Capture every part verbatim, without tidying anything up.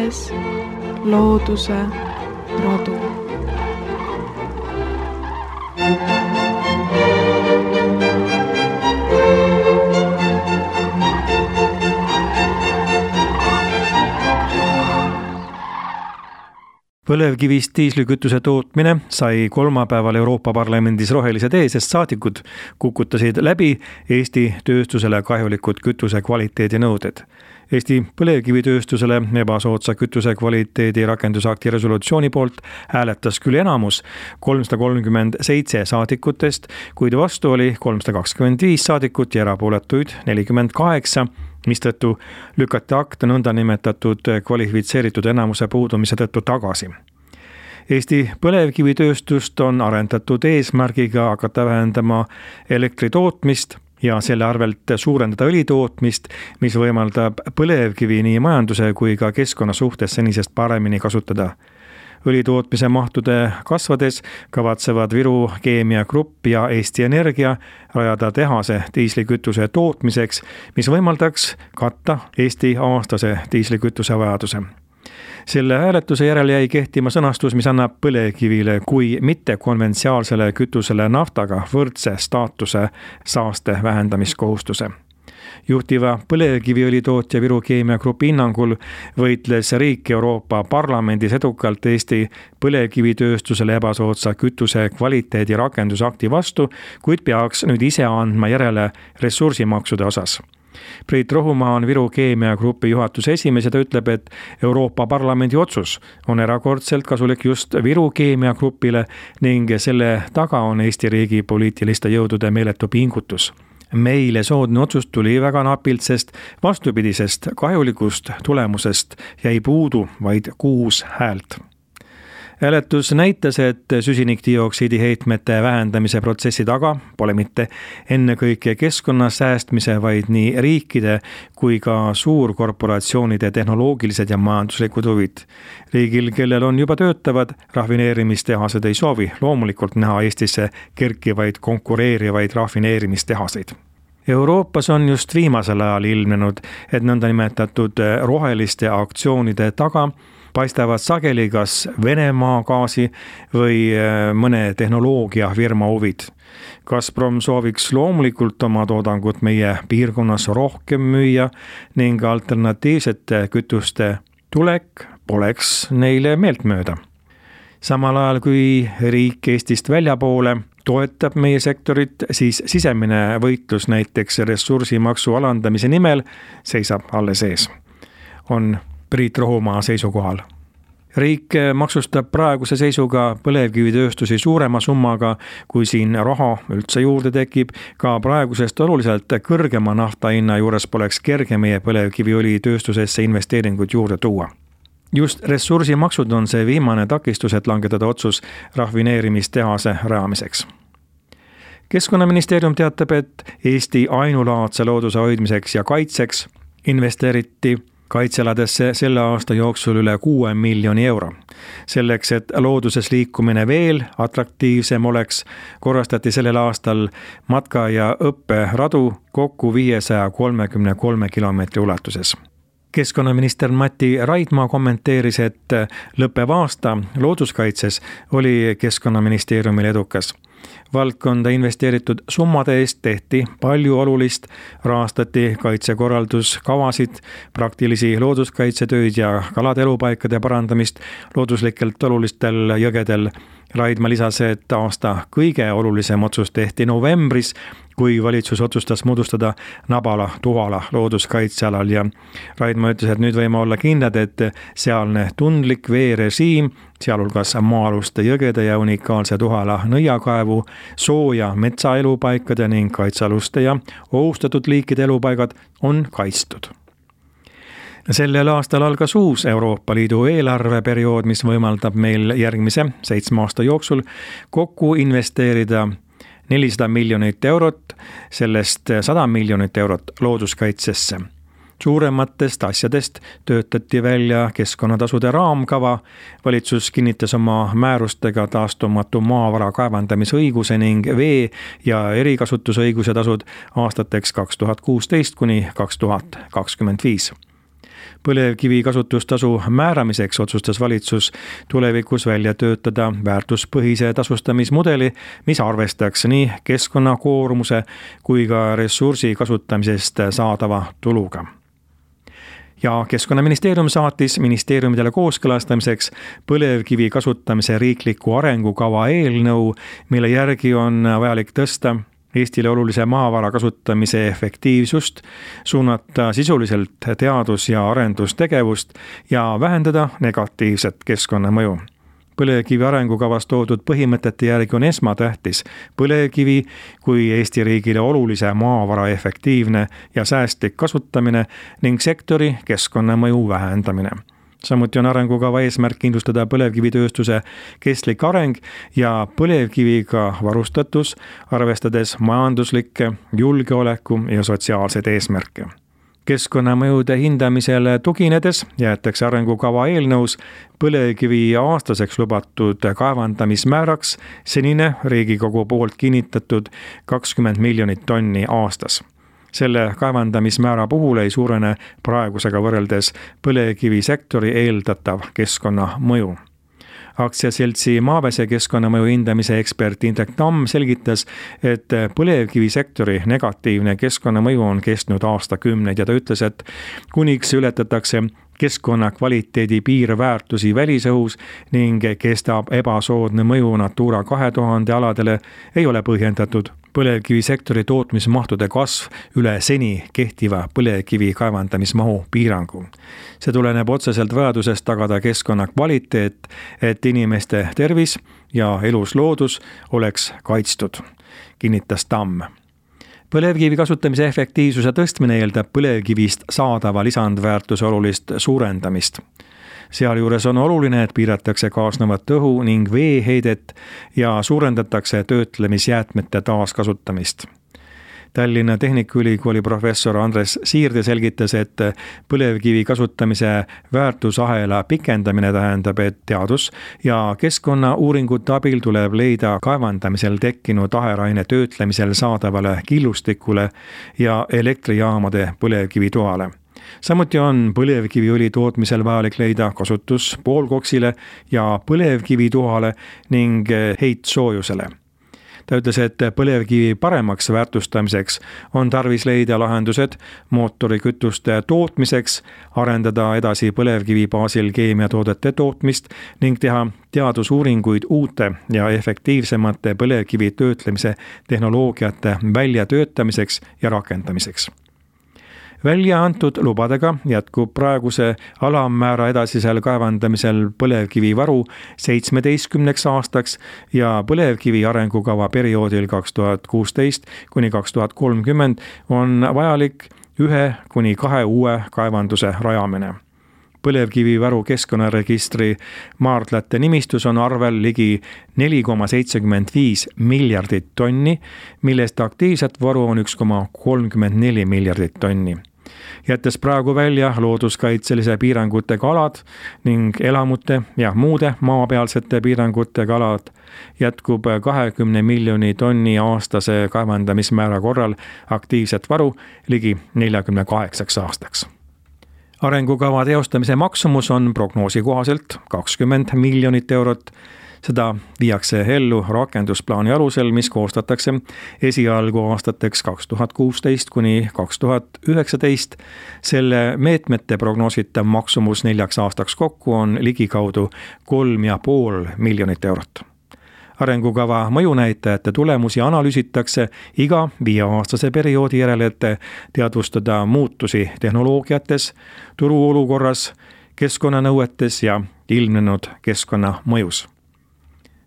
vaadates looduse rodu. Põlevkivist diislikütuse tootmine sai kolmapäeval Euroopa Parlamendis rohelise tee, sest saadikud kukutasid läbi Eesti tööstusele kahjulikud kütuse kvaliteedi nõuded. Eesti põlevkivitööstusele ebasoodsa kütuse kvaliteedi rakendusakti resolutsiooni poolt hääletas küll enamus kolmsada kolmkümmend seitse saadikutest, kuid vastu oli kolmsada kakskümmend viis saadikut ja erapooletuid nelikümmend kaheksa, mistõttu lükati akt nõndanimetatud kvalifitseeritud enamuse puudumise tõttu tagasi. Eesti põlevkivitööstust on arendatud eesmärgiga hakata vähendama elektri tootmist ja selle arvelt suurendada õli tootmist, mis võimaldab põlevkivi nii majanduse kui ka keskkonna suhtes senisest paremini kasutada. Õlitootmise mahtude kasvades kavatsevad Viru Keemia Grupp ja Eesti Energia rajada tehase diislikütuse tootmiseks, mis võimaldaks katta Eesti aastase diislikütuse vajaduse. Selle hääletuse järel jäi kehtima sõnastus, mis annab põlevkivile kui mitte konventsiaalsele kütusele naftaga võrdse staatuse saaste vähendamiskohustuse. Juhtiva põlevkiviõlitootja Viru Keemia Grupi hinnangul võitles riik Euroopa Parlamendis edukalt Eesti põlevkivitööstusele ebasoodsa kütuse kvaliteedi rakendusakti vastu, kuid peaks nüüd ise andma järele ressursimaksude osas. Priit Rohumaa on Viru Keemia Grupi juhatuse esimees ja ta ütleb, et Euroopa Parlamendi otsus on erakordselt kasulik just Viru Keemia Grupile ning selle taga on Eesti riigi poliitiliste jõudude meeletu pingutus. Meile soodne otsus tuli väga napilt, sest vastupidisest kahjulikust tulemusest jäi puudu vaid kuus häält. Hääletus näitas, et süsinikdioksiidi heitmete vähendamise protsessi taga pole mitte ennekõike keskkonna säästmise, vaid nii riikide kui ka suurkorporatsioonide tehnoloogilised ja majanduslikud huvid. Riigil, kellel on juba töötavad rafineerimistehased, ei soovi loomulikult näha Eestisse kerkivaid konkureerivaid rafineerimistehaseid. Euroopas on just viimasel ajal ilmnenud, et nõndanimetatud roheliste aktsioonide taga paistavad sageli kas Venemaa gaasi või mõne tehnoloogiafirma huvid. Gazprom sooviks loomulikult oma toodangut meie piirkonnas rohkem müüa ning alternatiivsete kütuste tulek poleks neile meeltmööda. Samal ajal kui riik Eestist väljapoole toetab meie sektorit, siis sisemine võitlus näiteks ressursimaksu alandamise nimel seisab alles ees, on Priit Rohumaa seisukohal. Riik maksustab praeguse seisuga põlevkivitööstusi suurema summaga, kui siin raha üldse juurde tekib. Ka praegusest oluliselt kõrgema nafta hinna juures poleks kerge meie põlevkiviõli tööstusesse investeeringuid juurde tuua. Just ressursimaksud on see viimane takistus, et langetada otsus rafineerimistehase rajamiseks. Keskkonnaministeerium teatab, et Eesti ainulaadse looduse hoidmiseks ja kaitseks investeeriti kaitsealadesse selle aasta jooksul üle kuue miljoni euro. Selleks, et looduses liikumine veel atraktiivsem oleks, korrastati sellel aastal matka- ja õpperadu kokku viiesaja kolmekümne kolme kilomeetri ulatuses. Keskkonnaminister Mati Raidma kommenteeris, et lõppev aasta looduskaitses oli Keskkonnaministeeriumil edukas. Valdkonda investeeritud summade eest tehti palju olulist, rahastati kaitsekorralduskavasid, praktilisi looduskaitsetöid ja kalade elupaikade parandamist looduslikelt olulistel jõgedel. Raidma lisas, et aasta kõige olulisem otsus tehti novembris, kui valitsus otsustas moodustada Nabala-Tuhala looduskaitsealal ja Raidma ütles, et nüüd võime olla kindlad, et sealne tundlik veerežiim, sealhulgas maa-aluste jõgede ja unikaalse Tuhala nõiakaevu, sooja metsaelupaikade ning kaitsealuste ja ohustatud liikide elupaigad on kaitstud. Sellel aastal algas uus Euroopa Liidu eelarveperiood, mis võimaldab meil järgmise seitsme aasta jooksul kokku investeerida nelisada miljonit eurot, sellest sada miljonit eurot looduskaitsesse. Suurematest asjadest töötati välja keskkonnatasude raamkava. Valitsus kinnitas oma määrustega taastumatu maavara kaevandamisõiguse ning vee- ja erikasutusõiguse tasud aastateks kaks tuhat kuusteist kuni kaks tuhat kakskümmend viis. Põlevkivi kasutustasu määramiseks otsustas valitsus tulevikus välja töötada väärtuspõhise tasustamismudeli, mis arvestaks nii keskkonnakoormuse kui ka ressursi kasutamisest saadava tuluga. Ja Keskkonnaministeerium saatis ministeeriumidele kooskõlastamiseks põlevkivi kasutamise riikliku arengukava eelnõu, mille järgi on vajalik tõsta Eestile olulise maavara kasutamise efektiivsust, suunata sisuliselt teadus- ja arendustegevust ja vähendada negatiivset keskkonnamõju. Põlevkivi arengukavas toodud põhimõtete järgi on esmatähtis põlevkivi kui Eesti riigile olulise maavara efektiivne ja säästlik kasutamine ning sektori keskkonnamõju vähendamine. Samuti on arengukava eesmärk kindlustada põlevkivitööstuse kestlik areng ja põlevkiviga varustatus, arvestades majanduslikke, julgeoleku ja sotsiaalseid eesmärke. Keskkonnamõjude hindamisele tuginedes jäetakse arengukava eelnõus põlevkivi aastaseks lubatud kaevandamismääraks senine Riigikogu poolt kinnitatud kakskümmend miljonit tonni aastas. Selle kaevandamismäära puhul ei suurene praegusega võrreldes põlevkivisektori eeldatav keskkonnamõju. Aktsiaseltsi Maavese keskkonnamõju hindamise ekspert Indrek Tamm selgitas, et põlevkivisektori negatiivne keskkonnamõju on kestnud aastakümneid ja ta ütles, et kuniks ületatakse keskkonna kvaliteedi piirväärtusi välisõhus ning kestab ebasoodne mõju Natura kahe tuhande aladele, ei ole põhjendatud põlevkivisektori tootmismahtude kasv üle seni kehtiva põlevkivi kaevandamismahu piirangu. See tuleneb otseselt vajadusest tagada keskkonna kvaliteet, et inimeste tervis ja elusloodus oleks kaitstud, kinnitas Tamm. Põlevkivi kasutamise efektiivsuse tõstmine eeldab põlevkivist saadava lisandväärtuse olulist suurendamist. Sealjuures on oluline, et piiratakse kaasnevat õhu ning veeheidet ja suurendatakse töötlemisjäätmete taaskasutamist. Tallinna Tehnikaülikooli professor Andres Siirde selgitas, et põlevkivi kasutamise väärtusahela pikendamine tähendab, et teadus- ja keskkonnauuringute abil tuleb leida kaevandamisel tekkinud aheraine töötlemisel saadavale killustikule ja elektrijaamade põlevkivitoale. Samuti on põlevkiviõli tootmisel vajalik leida kasutus poolkoksile ja põlevkivitoale ning heitsoojusele. Ta ütles, et põlevkivi paremaks väärtustamiseks on tarvis leida lahendused mootorikütuste tootmiseks, arendada edasi põlevkivi baasil keemiatoodete tootmist ning teha teadusuuringuid uute ja efektiivsemate põlevkivi töötlemise tehnoloogiate väljatöötamiseks ja rakendamiseks. Välja antud lubadega jätkub praeguse alammäära edasisel kaevandamisel põlevkivivaru seitsmeteistkümneks aastaks ja põlevkivi arengukava perioodil kaks tuhat kuusteist kuni kaks tuhat kolmkümmend on vajalik ühe kuni kahe uue kaevanduse rajamine. Põlevkivivaru keskkonnaregistri maardlate nimistus on arvel ligi neli koma seitsekümmend viis miljardit tonni, millest aktiivset varu on üks koma kolmkümmend neli miljardit tonni. Jättes praegu välja looduskaitselise piirangutega alad ning elamute ja muude maapealsete piirangutega alad, jätkub kahekümne miljoni tonni aastase kaevandamismäära korral aktiivset varu ligi neljakümne kaheksaks aastaks. Arengukava teostamise maksumus on prognoosi kohaselt kakskümmend miljonit eurot. Seda viiakse ellu rakendusplaani alusel, mis koostatakse esialgu aastateks kaks tuhat kuusteist kuni kaks tuhat üheksateist. Selle meetmete prognoositav maksumus neljaks aastaks kokku on ligikaudu kolm ja pool miljonit eurot. Arengukava mõjunäitajate tulemusi analüüsitakse iga viieaastase perioodi järel, et teadvustada muutusi tehnoloogiates, turuolukorras, keskkonnanõuetes ja ilmnenud keskkonnamõjus.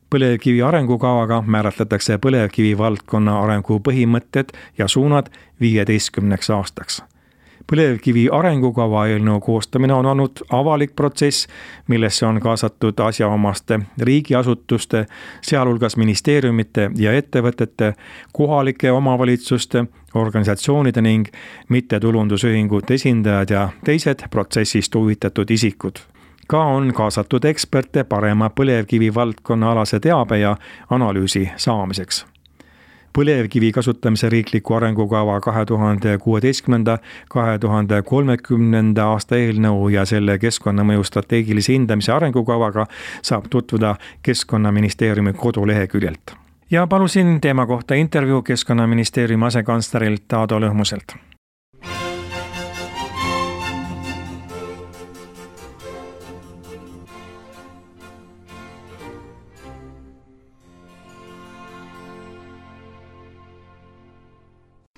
Põlevkivi arengukavaga määratletakse põlevkivi valdkonna arengu põhimõtted ja suunad viieteistkümneks aastaks. Põlevkivi arengukava eelnõu koostamine on olnud avalik protsess, millesse on kaasatud asjaomaste riigiasutuste, sealhulgas ministeeriumite ja ettevõtete, kohalike omavalitsuste, organisatsioonide ning mittetulundusühingute esindajad ja teised protsessist huvitatud isikud. Ka on kaasatud eksperte parema põlevkivi valdkonna alase teabe ja analüüsi saamiseks. põlevkivi kasutamise riikliku arengukava kahe tuhande kuueteistkümnenda kahe tuhande kolmekümnenda aasta eelnõu ja selle keskkonnamõju strateegilise hindamise arengukavaga saab tutvuda Keskkonnaministeeriumi koduleheküljelt. Ja palusin teema kohta intervjuu Keskkonnaministeeriumi asekantslerilt Aado Lõhmuselt.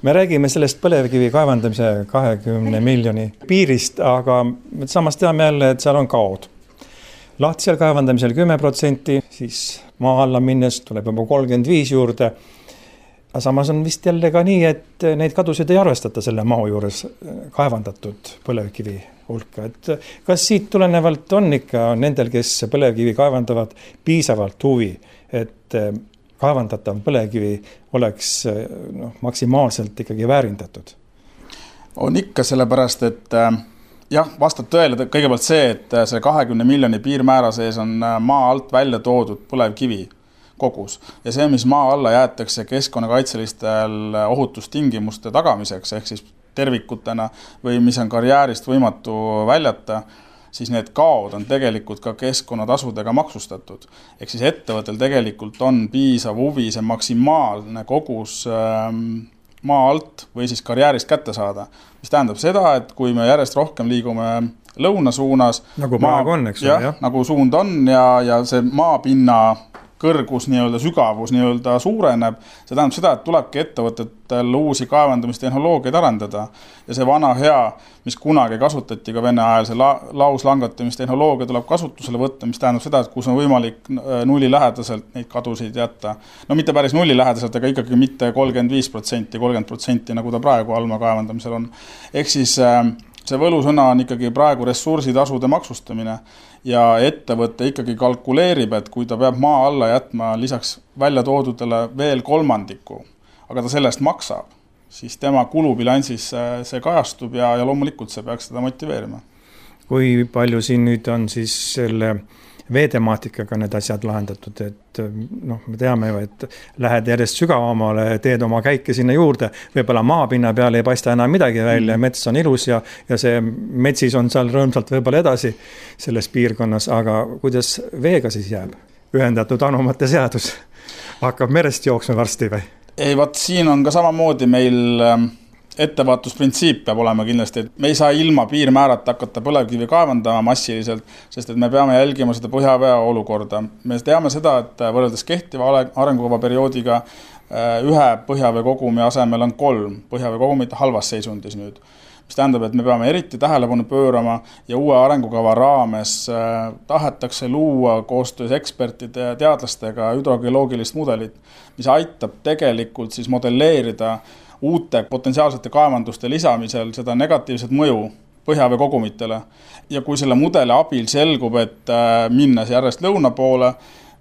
Me räägime sellest põlevkivi kaevandamise kahekümne miljoni piirist, aga samas teame jälle, et seal on kaod. Lahtisel kaevandamisel kümme protsenti, siis maa alla minnes tuleb juba kolmkümmend viis juurde. Aga samas on vist jälle ka nii, et neid kadusid ei arvestata selle maa juures kaevandatud põlevkivi hulka. Et kas siit tulenevalt on ikka nendel, kes põlevkivi kaevandavad, piisavalt huvi, et kaevandatav põlevkivi oleks noh, maksimaalselt ikkagi väärindatud? On ikka sellepärast, et jah, vastab tõele kõigepealt see, et see kahekümne miljoni piirmäära sees on maa alt välja toodud põlevkivi kogus. Ja see, mis maa alla jäetakse keskkonnakaitselistel ohutustingimuste tagamiseks, ehk siis tervikutena või mis on karjäärist võimatu väljata, siis need kaod on tegelikult ka keskkonnatasudega maksustatud. Ehk siis ettevõttel tegelikult on piisav huvi see maksimaalne kogus maa alt või siis karjäärist kätte saada. Mis tähendab seda, et kui me järjest rohkem liigume lõuna suunas, nagu maa, on, eks jah, jah? nagu suund on ja, ja see maapinna kõrgus, nii-öelda sügavus nii-öelda suureneb. See tähendab seda, et tulebki ettevõtetel uusi kaevandamistehnoloogiaid arendada. Ja see vana hea, mis kunagi kasutati ka Vene ajal, see la lauslangatamistehnoloogia tuleb kasutusele võtta, mis tähendab seda, et kus on võimalik nulli lähedaselt neid kadusid jätta. No mitte päris nulli lähedaselt, aga ikkagi mitte kolmkümmend viis protsenti, kolmkümmend protsenti, nagu ta praegu alma kaevandamisel on. Ehk siis see võlusõna on ikkagi praegu ressursitasude maksustamine. Ja ettevõtte ikkagi kalkuleerib, et kui ta peab maa alla jätma lisaks välja toodudele veel kolmandiku, aga ta sellest maksab, siis tema kulubilansis see kajastub ja, ja loomulikult see peaks seda motiveerima. Kui palju siin nüüd on siis selle veetemaatikaga need asjad lahendatud, et noh, me teame ju, et lähed järjest sügavamale, teed oma käike sinna juurde, võibolla maapinna peal ei paista enam midagi välja, mm. mets on ilus ja, ja see metsis on seal rõõmsalt võibolla edasi selles piirkonnas, aga kuidas veega siis jääb? Ühendatud anumate seadus hakkab merest jooksma varsti või? Ei, vaat siin on ka samamoodi meil ettevaaatusprintsiip peab olema kindlasti, et me ei saa ilma piirmäärata hakata põlevkivi kaevandama massiliselt, sest et me peame jälgima seda põhjavee olukorda. Me teame seda, et võrreldes kehtiva arengukava perioodiga ühe põhjavee kogumi asemel on kolm põhjavee kogumit halvas seisundis nüüd. Mis tähendab, et me peame eriti tähelepanu pöörama ja uue arengukava raames tahetakse luua koostöös ekspertide ja teadlastega hüdrogeoloogilist mudelit, mis aitab tegelikult siis modelleerida uute potentsiaalsete kaevanduste lisamisel seda negatiivset mõju põhjavee kogumitele. Ja kui selle mudeli abil selgub, et minnes järjest lõuna poole,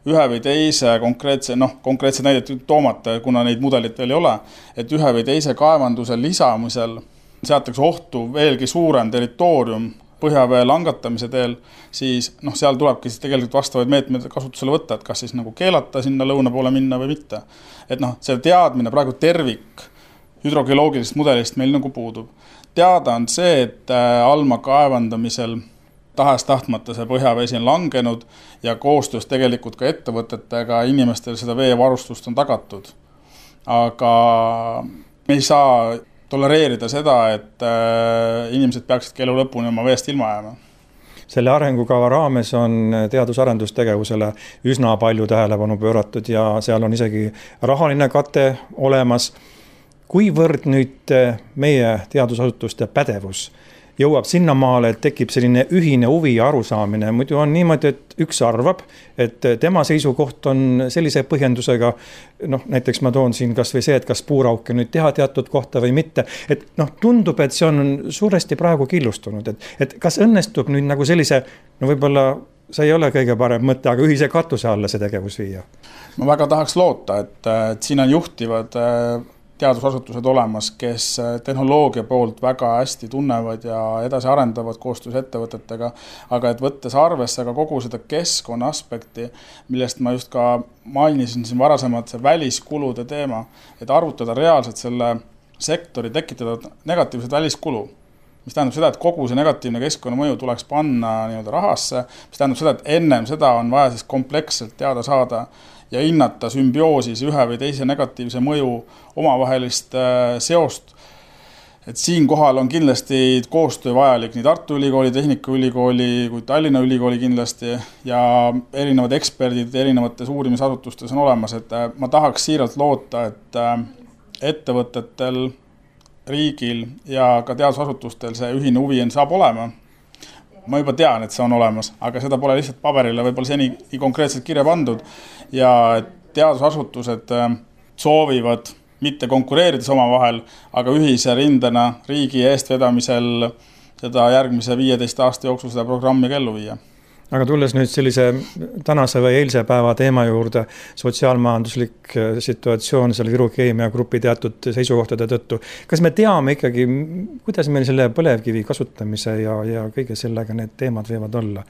ühe või teise konkreetse, noh, konkreetse näidet toomata, kuna neid mudelit veel ei ole, et ühe või teise kaevanduse lisamisel seatakse ohtu veelgi suurem territoorium põhjavee langatamise teel, siis noh, seal tulebki siis tegelikult vastavaid meetmeid kasutusele võtta, et kas siis nagu keelata sinna lõuna poole minna või mitte. Et noh, see teadmine praegu tervik hüdrogeoloogilist mudelist meil nagu puudub. Teada on see, et alma kaevandamisel tahes tahtmata see põhjavesi on langenud ja koostöös tegelikult ka ettevõtetega inimestel seda veevarustust on tagatud. Aga me ei saa tolereerida seda, et inimesed peaksid elu lõpuni oma veest ilma jääma. Selle arengukava raames on teadus-arendustegevusele üsna palju tähelepanu pööratud ja seal on isegi rahaline kate olemas. Kuivõrd nüüd meie teadusasutuste pädevus jõuab sinna maale, et tekib selline ühine huvi ja arusaamine. Muidu on niimoodi, et üks arvab, et tema seisukoht on sellise põhjendusega, noh, näiteks ma toon siin kas või see, et kas puurauke nüüd teha teatud kohta või mitte. Et noh, tundub, et see on suuresti praegu killustunud. Et, et kas õnnestub nüüd nagu sellise, no võib-olla see ei ole kõige parem mõte, aga ühise katuse alla see tegevus viia? Ma väga tahaks loota, et, et siin on juhtivad teadusasutused olemas, kes tehnoloogia poolt väga hästi tunnevad ja edasi arendavad koostöös ettevõtetega, aga et võttes arvesse ka kogu seda keskkonna aspekti, millest ma just ka mainisin siin varasemalt, see väliskulude teema, et arvutada reaalselt selle sektori tekitada negatiivset väliskulu, mis tähendab seda, et kogu see negatiivne keskkonnamõju tuleks panna nii-öelda rahasse, mis tähendab seda, et ennem seda on vaja siis kompleksselt teada saada ja hinnata sümbioosis ühe või teise negatiivse mõju omavahelist seost. Et siin kohal on kindlasti koostöö vajalik nii Tartu Ülikooli, Tehnikaülikooli kui Tallinna Ülikooli kindlasti ja erinevad eksperdid erinevates uurimisasutustes on olemas, et ma tahaks siiralt loota, et ettevõtetel, riigil ja ka teadusasutustel see ühine huvi saab olema. Ma juba tean, et see on olemas, aga seda pole lihtsalt paberile võib-olla seni konkreetselt kirja pandud ja teadusasutused soovivad mitte konkureerides oma vahel, aga ühise rindena riigi eestvedamisel seda järgmise viieteist aasta jooksul seda programmi ellu viia. Aga tulles nüüd sellise tänase või eilse päeva teema juurde, sotsiaalmajanduslik situatsioon selle Viru Keemia grupi teatud seisukohtade tõttu. Kas me teame ikkagi, kuidas meil selle põlevkivi kasutamise ja, ja kõige sellega need teemad võivad olla?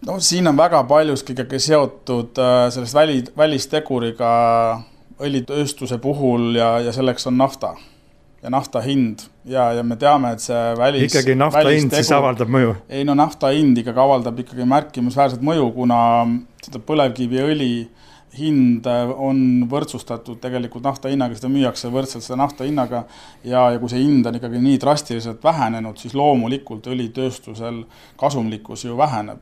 No siin on väga paljuski ikkagi seotud sellest väli, välisteguriga õlitööstuse puhul ja, ja selleks on nafta. Ja nafta hind ja, ja me teame, et see välis... Ikkagi nafta hind siis avaldab mõju? Ei, no nafta hind ikkagi avaldab ikkagi märkimisväärset mõju, kuna seda põlevkiviõli hind on võrdsustatud tegelikult nafta hinnaga, seda müüakse võrdselt seda nafta hinnaga ja, ja kui see hind on ikkagi nii drastiliselt vähenenud, siis loomulikult õlitööstusel kasumlikkus ju väheneb.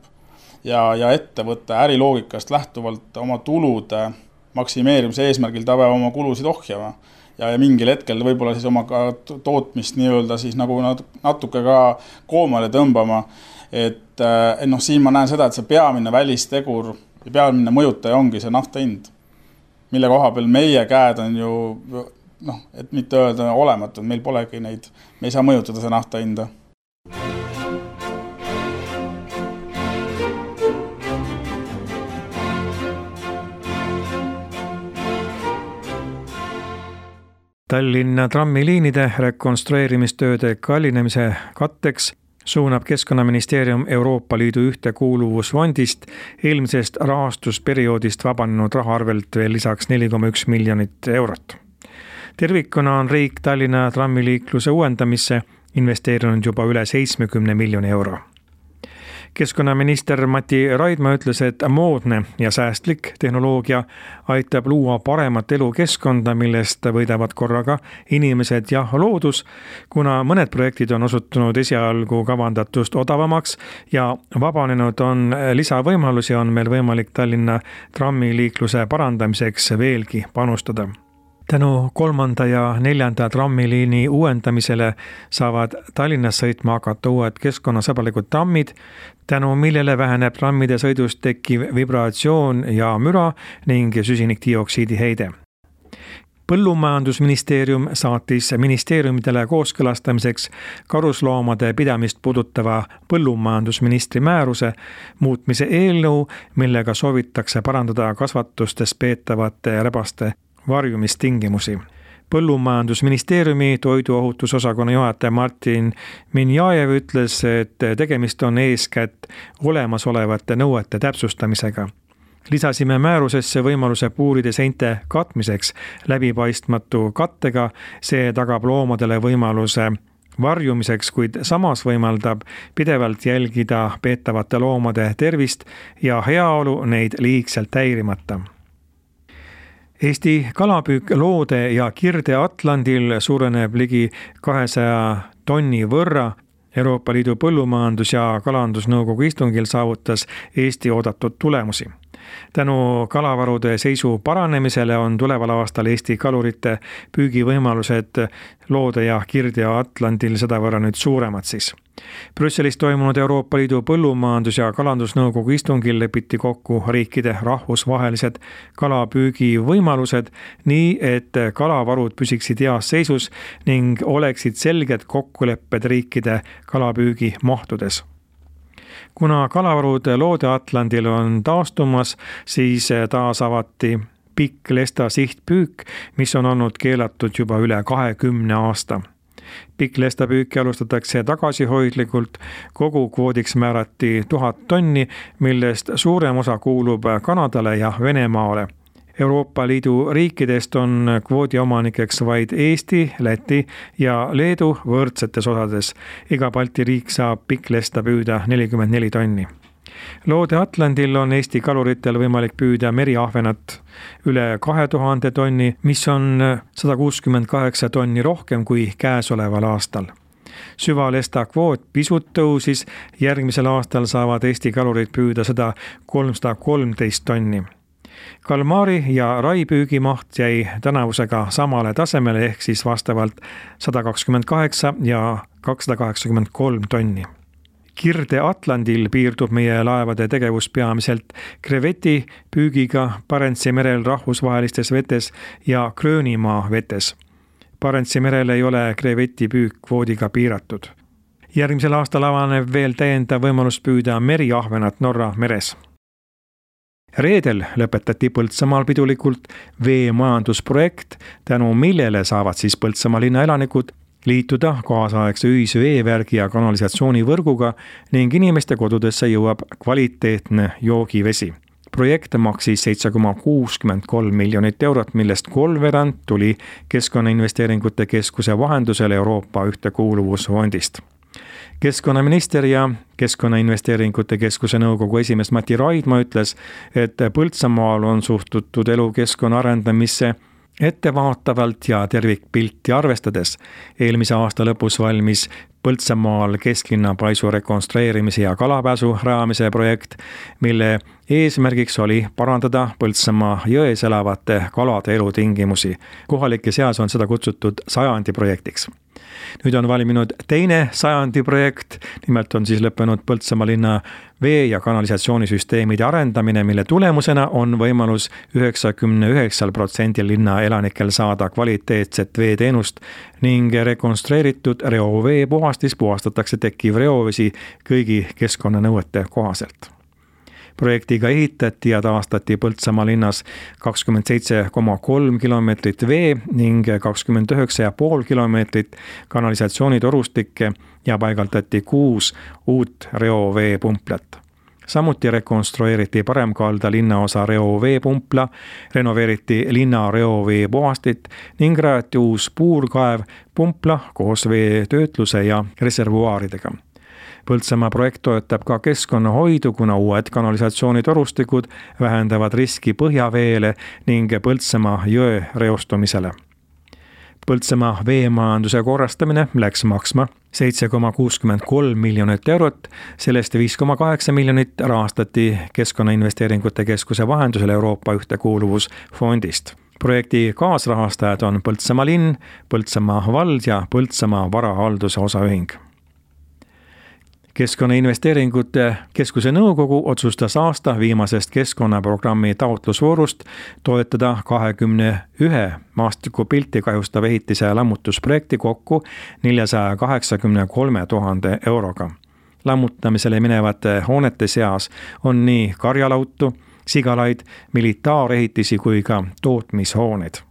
Ja, ja ettevõtte äriloogikast lähtuvalt oma tulude maksimeerimise eesmärgil ta peab oma kulusid ohjama. Ja, ja mingil hetkel võib-olla siis oma tootmist nii-öelda siis nagu natuke ka koomale tõmbama, et noh, siin ma näen seda, et see peamine välistegur ja peamine mõjutaja ongi see nafta hind, mille koha peal meie käed on ju, noh, et mitte öelda olematu, meil polegi neid, me ei saa mõjutada see nafta hinda. Tallinna trammiliinide rekonstrueerimistööde kallinemise katteks suunab Keskkonnaministeerium Euroopa Liidu ühtekuuluvusfondist eelmisest rahastusperioodist vabanenud raha arvelt veel lisaks neli koma üks miljonit eurot. Tervikuna on riik Tallinna trammiliikluse uuendamisse investeerinud juba üle seitsmekümne miljoni euro. Keskkonnaminister Mati Raidma ütles, et moodne ja säästlik tehnoloogia aitab luua paremat elukeskkonda, millest võidavad korraga inimesed ja loodus, kuna mõned projektid on osutunud esialgu kavandatust odavamaks ja vabanenud on lisavõimalusi, on meil võimalik Tallinna trammiliikluse parandamiseks veelgi panustada. Tänu kolmanda ja neljanda trammiliini uuendamisele saavad Tallinnas sõitma hakata uued keskkonnasõbralikud trammid, tänu millele väheneb trammide sõidust tekkiv vibratsioon ja müra ning süsinikdioksiidi heide. Põllumajandusministeerium saatis ministeeriumidele kooskõlastamiseks karusloomade pidamist puudutava põllumajandusministri määruse muutmise eelnõu, millega soovitakse parandada kasvatustes peetavate rebaste varjumistingimusi. Põllumajandusministeeriumi toiduohutusosakonna juhataja Martin Minjajev ütles, et tegemist on eeskätt olemasolevate nõuete täpsustamisega. Lisasime määrusesse võimaluse puuride seinte katmiseks läbipaistmatu kattega, see tagab loomadele võimaluse varjumiseks, kuid samas võimaldab pidevalt jälgida peetavate loomade tervist ja heaolu neid liigselt häirimata. Eesti kalapüük Loode ja Kirde Atlandil suureneb ligi kahesaja tonni võrra. Euroopa Liidu põllumajandus- ja kalandusnõukogu istungil saavutas Eesti oodatud tulemusi. Tänu kalavarude seisu paranemisele on tuleval aastal Eesti kalurite püügivõimalused Loode ja Kirde Atlandil sedavõrra nüüd suuremad siis. Brüsselis toimunud Euroopa Liidu põllumajandus- ja kalandusnõukogu istungil lepiti kokku riikide rahvusvahelised kalapüügi võimalused nii, et kalavarud püsiksid heas seisus ning oleksid selged kokkulepped riikide kalapüügi mahtudes. Kuna kalavarud Loode Atlandil on taastumas, siis taas avati pikklesta sihtpüük, mis on olnud keelatud juba üle kahekümne aasta. Pikklesta püüki alustatakse tagasihoidlikult, kogu kvoodiks määrati tuhat tonni, millest suurem osa kuulub Kanadale ja Venemaale. Euroopa Liidu riikidest on kvoodi omanikeks vaid Eesti, Läti ja Leedu võrdsetes osades. Iga Balti riik saab pikklesta püüda nelikümmend neli tonni. Loode-Atlandil on Eesti kaluritel võimalik püüda meriahvenat üle kahe tuhande tonni, mis on sada kuuskümmend kaheksa tonni rohkem kui käesoleval aastal. Süvalesta kvoot pisut tõusis, järgmisel aastal saavad Eesti kalurid püüda seda kolmsada kolmteist tonni. Kalmaari ja rai püügimaht jäi tänavusega samale tasemele ehk siis vastavalt sada kakskümmend kaheksa ja kakssada kaheksakümmend kolm tonni. Kirde-Atlandil piirdub meie laevade tegevus peamiselt kreveti püügiga Barentsi merel rahvusvahelistes vetes ja Gröönimaa vetes. Barentsi merel ei ole kreveti püük kvoodiga piiratud. Järgmisel aastal avaneb veel täiendav võimalus püüda meriahvenat Norra meres. Reedel lõpetati Põltsamaal pidulikult veemajandusprojekt, tänu millele saavad siis Põltsamaa linna elanikud liituda kaasaegse ühise veevärgi ja kanalisatsioonivõrguga ning inimeste kodudesse jõuab kvaliteetne joogivesi. Projekt maksis seitse koma kuuskümmend kolm miljonit eurot, millest kolmveerand tuli Keskkonnainvesteeringute Keskuse vahendusel Euroopa Ühtekuuluvusfondist. Keskkonnaminister ja Keskkonnainvesteeringute Keskuse nõukogu esimees Mati Raidma ütles, et Põltsamaal on suhtutud elukeskkonna arendamisse ettevaatavalt ja tervikpilti arvestades. Eelmise aasta lõpus valmis Põltsamaal kesklinna paisu rekonstrueerimise ja kalapääsu rajamise projekt, mille eesmärgiks oli parandada Põltsamaa jões elavate kalade elutingimusi. Kohalike seas on seda kutsutud sajandi projektiks. Nüüd on valminud teine sajandi projekt, nimelt on siis lõppenud Põltsamaa linna vee- ja kanalisatsioonisüsteemide arendamine, mille tulemusena on võimalus üheksakümne üheksal protsendil linna elanikel saada kvaliteetset veeteenust ning rekonstrueeritud reovee puhastis puhastatakse tekkiv reovesi kõigi keskkonnanõuete kohaselt. Projektiga ehitati ja taastati Põltsamaa linnas kakskümmend seitse koma kolm kilomeetrit vee ning kakskümmend üheksa koma viis kilomeetrit kanalisatsioonitorustikke ja paigaldati kuus uut reoveepumplat. Samuti rekonstrueeriti paremkalda linnaosa reoveepumpla, renoveeriti linna reovee puhastit ning rajati uus puurkaev pumpla koos veetöötluse ja reservuaaridega. Põltsamaa projekt toetab ka keskkonnahoidu, kuna uued kanalisatsioonitorustikud vähendavad riski põhjaveele ning Põltsamaa jõe reostumisele. Põltsamaa veemajanduse korrastamine läks maksma seitse koma kuuskümmend kolm miljonit eurot, sellest viis koma kaheksa miljonit rahastati Keskkonnainvesteeringute Keskuse vahendusel Euroopa Ühtekuuluvusfondist. Projekti kaasrahastajad on Põltsamaa linn, Põltsamaa vald ja Põltsamaa varahalduse osaühing. Keskkonnainvesteeringute Keskuse nõukogu otsustas aasta viimasest keskkonnaprogrammi taotlusvoorust toetada kahekümne ühe maastikupilti kahjustav ehitise lammutusprojekti kokku neljasaja kaheksakümne kolme tuhande euroga. Lammutamisele minevate hoonete seas on nii karjalautu, sigalaid, militaarehitisi kui ka tootmishooned.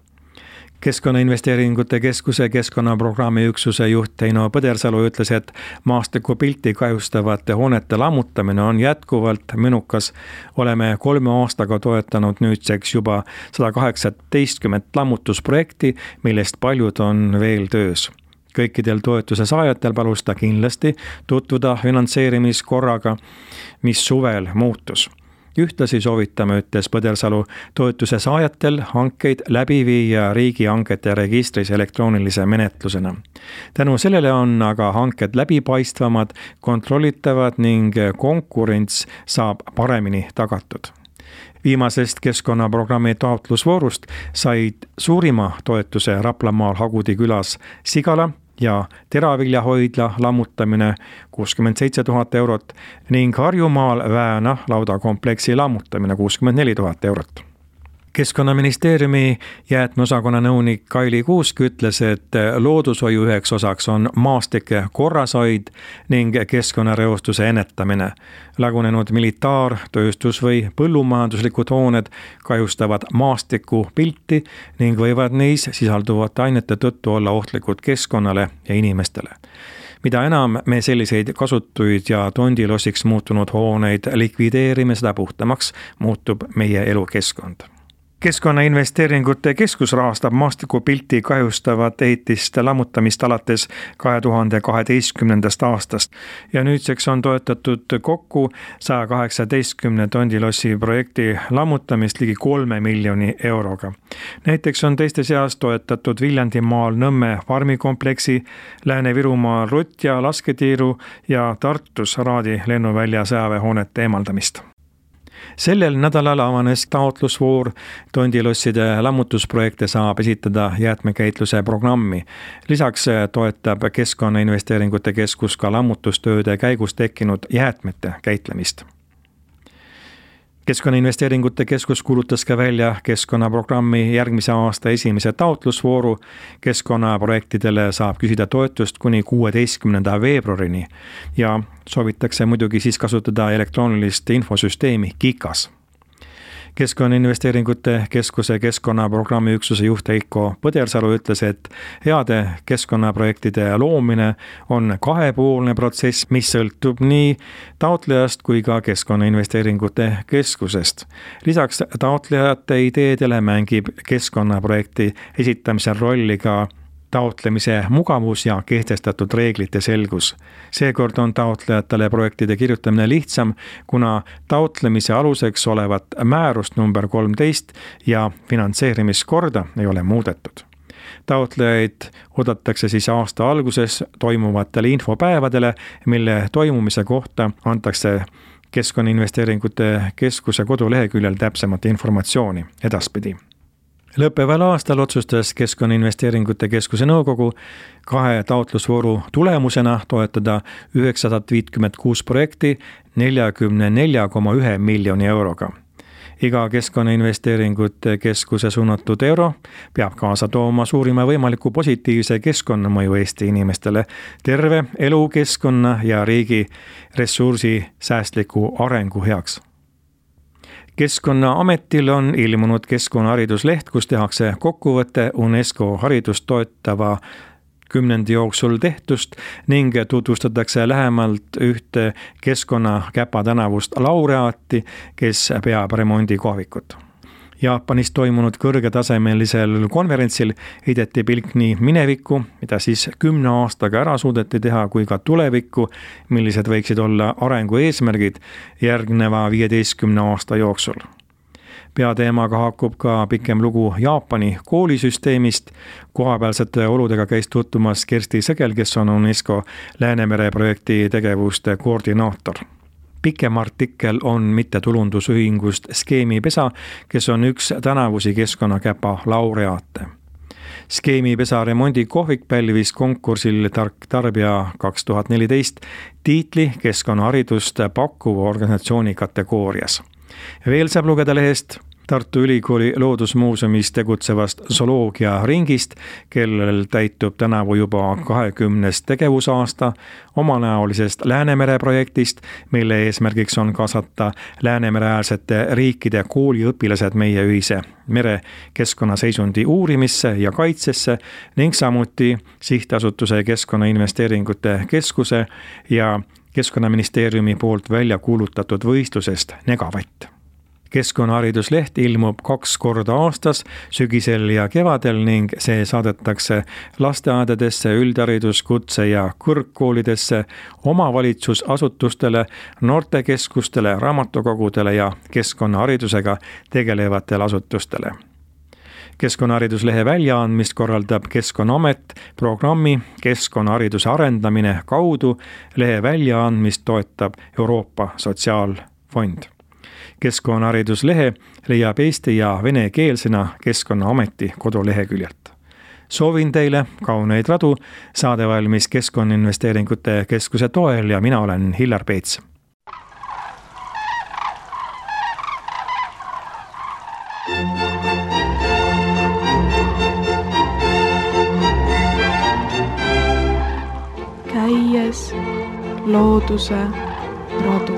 Keskkonnainvesteeringute Keskuse keskkonnaprogrammi üksuse juht Heino Põdersalu ütles, et maastikupilti kahjustavate hoonete lammutamine on jätkuvalt mõnukas. Oleme kolme aastaga toetanud nüüdseks juba sada kaheksateistkümmend lammutusprojekti, millest paljud on veel töös. Kõikidel toetuse saajatel palus ta kindlasti tutvuda finantseerimiskorraga, mis suvel muutus. Ühtlasi soovitame, ütles Põdersalu, toetuse saajatel hankeid läbi viia riigihangete registris elektroonilise menetlusena. Tänu sellele on aga hanked läbipaistvamad, kontrollitavad ning konkurents saab paremini tagatud. Viimasest keskkonnaprogrammi taotlusvoorust said suurima toetuse Raplamaal Hagudi külas Sigala ja teraviljahoidla lammutamine kuuskümmend seitse tuhat eurot ning Harjumaal Vääna laudakompleksi lammutamine kuuskümmend neli tuhat eurot. Keskkonnaministeeriumi jäätmeosakonna nõunik Kaili Kuusk ütles, et loodushoiu üheks osaks on maastike korrashoid ning keskkonnareostuse ennetamine. Lagunenud militaar-, tööstus- või põllumajanduslikud hooned kahjustavad maastiku pilti ning võivad neis sisalduvate ainete tõttu olla ohtlikud keskkonnale ja inimestele. Mida enam me selliseid kasutuid ja tondilossiks muutunud hooneid likvideerime, seda puhtamaks muutub meie elukeskkond. Keskkonnainvesteeringute keskus rahastab maastikupilti kahjustavat ehitiste lammutamist alates kahe tuhande kaheteistkümnendast aastast ja nüüdseks on toetatud kokku saja kaheksateistkümne tondilossi projekti lammutamist ligi kolme miljoni euroga. Näiteks on teiste seas toetatud Viljandimaal Nõmme farmikompleksi, Lääne-Virumaal Rutja lasketiiru ja Tartus Raadi lennuvälja sõjaväehoonete eemaldamist. Sellel nädalal avanes taotlusvoor, tondilosside lammutusprojekte saab esitada jäätmekäitluse programmi. Lisaks toetab Keskkonnainvesteeringute keskus ka lammutustööde käigus tekkinud jäätmete käitlemist. Keskkonnainvesteeringute keskus kuulutas ka välja keskkonnaprogrammi järgmise aasta esimese taotlusvooru. Keskkonnaprojektidele saab küsida toetust kuni kuueteistkümnenda veebruarini ja soovitakse muidugi siis kasutada elektroonilist infosüsteemi KIKAS. Keskkonnainvesteeringute keskuse keskkonnaprogrammi üksuse juht Heiko Põdersalu ütles, et heade keskkonnaprojektide loomine on kahepoolne protsess, mis sõltub nii taotlejast kui ka Keskkonnainvesteeringute keskusest. Lisaks taotlejate ideedele mängib keskkonnaprojekti esitamisel rolli ka taotlemise mugavus ja kehtestatud reeglite selgus. Seekord on taotlejatele projektide kirjutamine lihtsam, kuna taotlemise aluseks olevat määrust number kolmteist ja finantseerimiskorda ei ole muudetud. Taotlejaid oodatakse siis aasta alguses toimuvatele infopäevadele, mille toimumise kohta antakse Keskkonnainvesteeringute keskuse koduleheküljel täpsemat informatsiooni edaspidi. Lõppeval aastal otsustas Keskkonnainvesteeringute keskuse nõukogu kahe taotlusvooru tulemusena toetada üheksasada viiskümmend kuus projekti neljakümne nelja koma ühe miljoni euroga. Iga Keskkonnainvesteeringute keskuse suunatud euro peab kaasa tooma suurima võimaliku positiivse keskkonnamõju Eesti inimestele, terve elukeskkonna ja riigi ressursi säästliku arengu heaks. Keskkonnaametil on ilmunud keskkonnahariduslehт, kus tehakse kokkuvõte UNESCO haridust toetava kümnendi jooksul tehtust ning tutvustatakse lähemalt ühte Keskkonnakäpa tänavust laureaati, kes peab remondikohvikut. Jaapanis toimunud kõrgetasemelisel konverentsil heideti pilk nii minevikku, mida siis kümne aastaga ära suudeti teha, kui ka tulevikku, millised võiksid olla arengu eesmärgid järgneva viieteistkümne aasta jooksul. Peateemaga haakub ka pikem lugu Jaapani koolisüsteemist. Kohapealsete oludega käis tutvumas Kersti Sõgel, kes on UNESCO Läänemere projekti tegevuste koordinaator. Pikem artikkel on mittetulundusühingust Skeemipesa, kes on üks tänavusi Keskkonnakäpa laureaate. Skeemipesa remondikohvik pälvis konkursil Tark tarbija kaks tuhat neliteist tiitli keskkonnaharidust pakkuva organisatsiooni kategoorias. Veel saab lugeda lehest Tartu Ülikooli loodusmuuseumis tegutsevast zooloogia ringist, kellel täitub tänavu juba kahekümnes tegevusaasta, omanäolisest Läänemere projektist, mille eesmärgiks on kaasata Läänemereäärsete riikide kooliõpilased meie ühise mere keskkonnaseisundi uurimisse ja kaitsesse ning samuti sihtasutuse Keskkonnainvesteeringute keskuse ja Keskkonnaministeeriumi poolt välja kuulutatud võistlusest Negavatt. Keskkonnahariduslehт ilmub kaks korda aastas, sügisel ja kevadel ning see saadetakse lasteaedadesse, üldharidus-, kutse- ja kõrgkoolidesse, omavalitsusasutustele, noortekeskustele, raamatukogudele ja keskkonnaharidusega tegelevatele asutustele. Keskkonnahariduslehe väljaandmist korraldab Keskkonnaamet programmi Keskkonnahariduse arendamine kaudu. Lehe väljaandmist toetab Euroopa Sotsiaalfond. Keskkonnahariduslehe leiab eesti- ja venekeelsena Keskkonnaameti koduleheküljelt. Soovin teile kauneid radu, saade valmis Keskkonnainvesteeringute keskuse toel ja mina olen Hillar Peets. Thank you. looduse rodu.